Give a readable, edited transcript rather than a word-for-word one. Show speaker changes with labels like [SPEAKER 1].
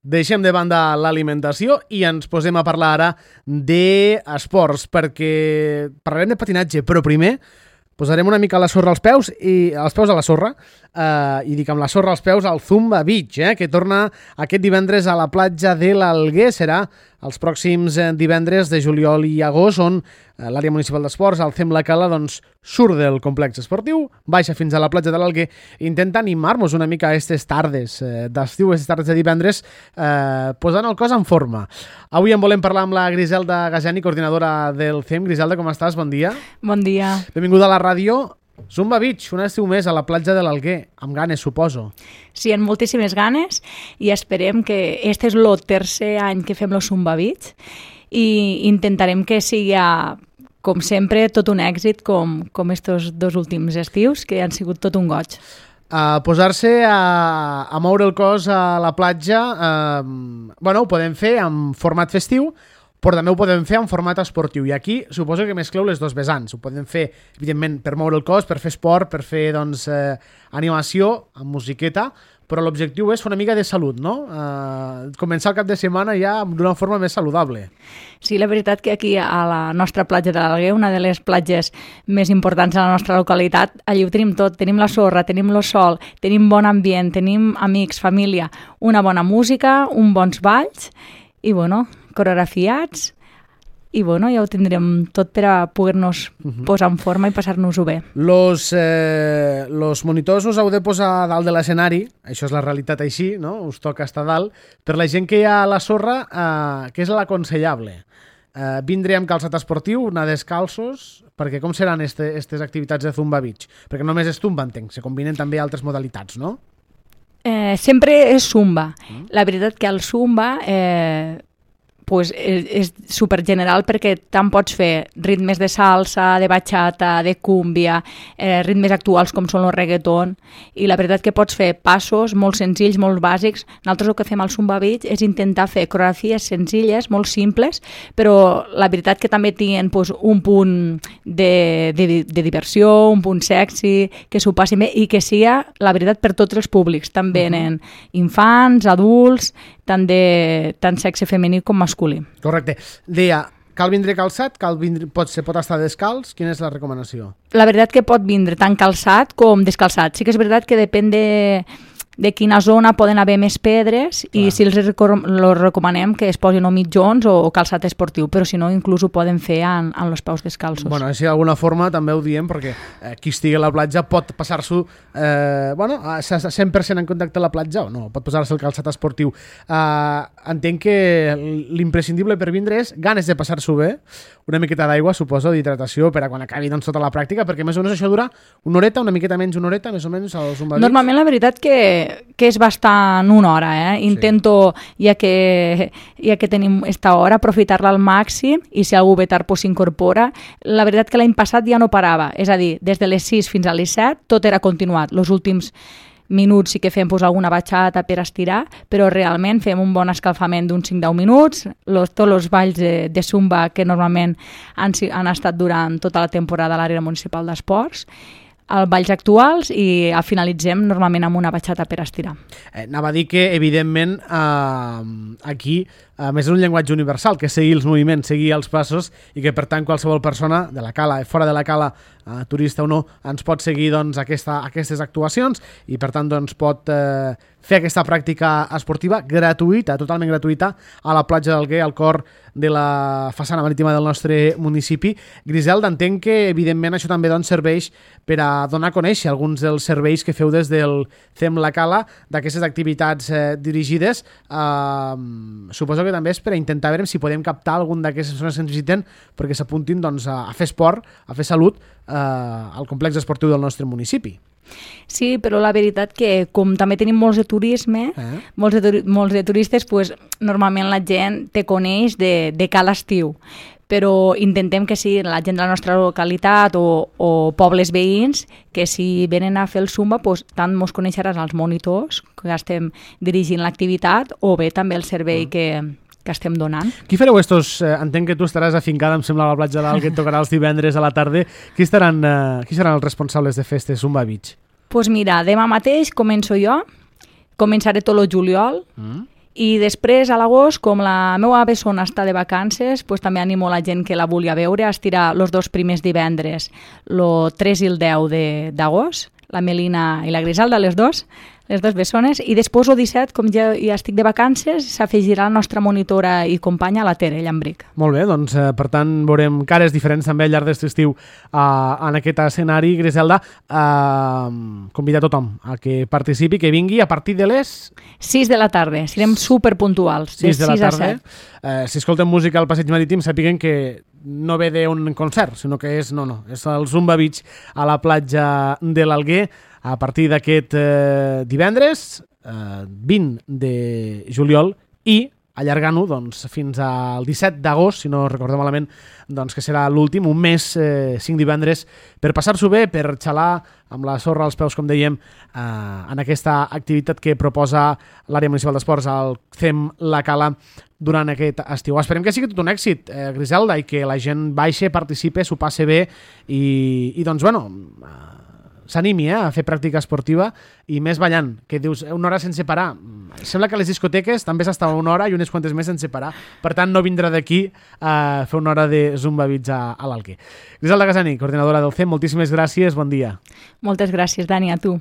[SPEAKER 1] Deixem de banda l'alimentació i ens posem a parlar ara d'esports, perquè parlarem de patinatge, però primer posarem una mica la sorra als peus i els peus a la sorra, i dic amb la sorra als peus al Zumba Beach, que torna aquest divendres a la platja de l'Alguer. Serà els pròxims divendres de juliol i agost, on l'àrea municipal d'esports, el CEM La Cala, doncs, surt del complex esportiu, baixa fins a la platja de l'Alguer, intenta animar-nos una mica a aquestes tardes d'estiu, aquestes tardes de divendres, posant el cos en forma. Avui en volem parlar amb la Griselda Gajani, coordinadora del CEM. Griselda, com estàs? Bon dia.
[SPEAKER 2] Bon dia.
[SPEAKER 1] Benvinguda a la ràdio. Zumba Beach, un estiu més a la platja de l'Alguer, amb ganes, suposo.
[SPEAKER 2] Sí, amb moltíssimes ganes, i esperem que este és el tercer any que fem el Zumba Beach i intentarem que sigui, com sempre, tot un èxit com estos dos últims estius, que han sigut tot un goig.
[SPEAKER 1] Posar-se a moure el cos a la platja, ho podem fer en format festiu, però també ho podem fer en format esportiu. I aquí suposo que mescleu les dos vessants. Ho podem fer, evidentment, per moure el cos, per fer esport, per fer animació amb musiqueta, però l'objectiu és fer una mica de salut, no? Començar el cap de setmana ja d'una forma més saludable.
[SPEAKER 2] Sí, la veritat que aquí a la nostra platja de l'Alguer, una de les platges més importants de la nostra localitat, allí ho tenim tot. Tenim la sorra, tenim el sol, tenim bon ambient, tenim amics, família, una bona música, uns bons balls i, coreografiats, i ja ho tindrem tot per a poder-nos posar en forma i passar-nos-ho bé.
[SPEAKER 1] Los monitors us heu de posar a dalt de l'escenari, això és la realitat així, no? Us toca estar dalt. Per la gent que hi ha a la sorra, què és l'aconsellable? Vindre amb calçat esportiu, anar descalços, perquè com seran aquestes activitats de Zumba Beach? Perquè només és Zumba, entenc, se combinen també altres modalitats, no?
[SPEAKER 2] Sempre és Zumba. La veritat que el Zumba és super general, perquè tant pots fer ritmes de salsa, de bachata, de cúmbia, ritmes actuals com són el reggaeton, i la veritat que pots fer passos molt senzills, molt bàsics. Nosaltres el que fem al Zumba Beach és intentar fer coreografies senzilles, molt simples, però la veritat que també tenen un punt de diversió, un punt sexy, que s'ho passin bé i que sigui, la veritat, per tots els públics. També venen infants, adults, tant sexe femení com masculí.
[SPEAKER 1] Correcte. Deia, cal vindre calçat, pot estar descalç? Quina és la recomanació?
[SPEAKER 2] La veritat que pot vindre tant calçat com descalçat. Sí que és veritat que depèn de quina zona poden haver més pedres. Clar. I si els recomanem que es posin o mitjons o calçat esportiu, però si no, inclús ho poden fer en els peus descalços.
[SPEAKER 1] Així d'alguna forma també ho diem, perquè qui estigui a la platja pot passar-s'ho 100% en contacte a la platja o no, pot posar-se el calçat esportiu. Entenc que l'imprescindible per vindre és ganes de passar-s'ho bé, una miqueta d'aigua, suposo, d'hidratació, per a quan acabi tota la pràctica, perquè més o menys això dura una horeta, una miqueta menys una horeta, més o menys, al Zumba Beach.
[SPEAKER 2] Normalment la veritat que és bastant una hora, Intento, ja que tenim esta hora, aprofitar-la al màxim, i si algú ve tard s'incorpora. La veritat que l'any passat ja no parava, és a dir, des de les 6 fins a les 7 tot era continuat. Els últims minuts sí que fem alguna batxata per estirar, però realment fem un bon escalfament d'uns 5-10 minuts, tots els balls de Zumba que normalment han estat durant tota la temporada a l'àrea municipal d'esports, els balls actuals, i finalitzem normalment amb una batxata per estirar.
[SPEAKER 1] Anava a dir que, evidentment, aquí més és un llenguatge universal, que seguir els moviments, seguir els passos, i que per tant qualsevol persona de la cala, fora de la cala, turista o no, ens pot seguir aquestes actuacions, i per tant pot fer aquesta pràctica esportiva gratuïta, totalment gratuïta, a la platja d'Alguer, al cor de la façana marítima del nostre municipi. Griselda, entenc que evidentment això també serveix per a donar a conèixer alguns dels serveis que feu des del CEM La Cala, d'aquestes activitats dirigides. Suposo que també és per a intentar veure si podem captar algun d'aquestes persones que ens visiten perquè s'apuntin a fer esport, a fer salut al complex esportiu del nostre municipi.
[SPEAKER 2] Sí, però la veritat que com també tenim molts de turisme, molts de turistes, normalment la gent te coneix de cada estiu, però intentem que sigui la gent de la nostra localitat o pobles veïns, que si venen a fer el Zumba, tant mos coneixeran els monitors que estem dirigint l'activitat, o bé també el servei que estem donant.
[SPEAKER 1] Qui fareu entenc que tu estaràs afincada, em sembla, a la platja de l'Alguer, que et tocarà els divendres a la tarda. Qui seran els responsables de fer este Zumba Beach?
[SPEAKER 2] Doncs mira, demà mateix començo jo, començaré tot el juliol, I després, a l'agost, com la meva bessona està de vacances, doncs també animo la gent que la vulgui veure a estirar els 2 primers divendres, el 3 i el 10 d'agost, la Melina i la Griselda, les dues bessones, i després el 17, com ja estic de vacances, s'afegirà la nostra monitora i companya, la Tere Llambric.
[SPEAKER 1] Molt bé, doncs per tant veurem cares diferents també al llarg d'aquest estiu en aquest escenari. Griselda, convida tothom a que participi, que vingui a partir de les
[SPEAKER 2] 6 de la tarda, serem superpuntuals, de 6 a 7.
[SPEAKER 1] Si escolten música al Passeig Marítim, sàpiguen que no ve d'un concert, sinó que és el Zumba Beach a la platja de l'Alguer a partir d'aquest divendres 20 de juliol i allargant-ho fins al 17 d'agost, si no recordem malament, que serà l'últim, un mes, 5 divendres, per passar-s'ho bé, per xalar amb la sorra als peus, com dèiem, en aquesta activitat que proposa l'àrea municipal d'esports al CEM La Cala durant aquest estiu. Esperem que sigui tot un èxit, Griselda, i que la gent baixe, participe, s'ho passe bé i s'animi a fer pràctica esportiva i més ballant, que dius una hora sense parar. Sembla que a les discoteques també s'està una hora i unes quantes més sense parar. Per tant, no vindrà d'aquí a fer una hora de Zumba Beach a l'Alguer. Griselda Casani, coordinadora del CEM, moltíssimes gràcies, bon dia.
[SPEAKER 2] Moltes gràcies, Dani, a tu.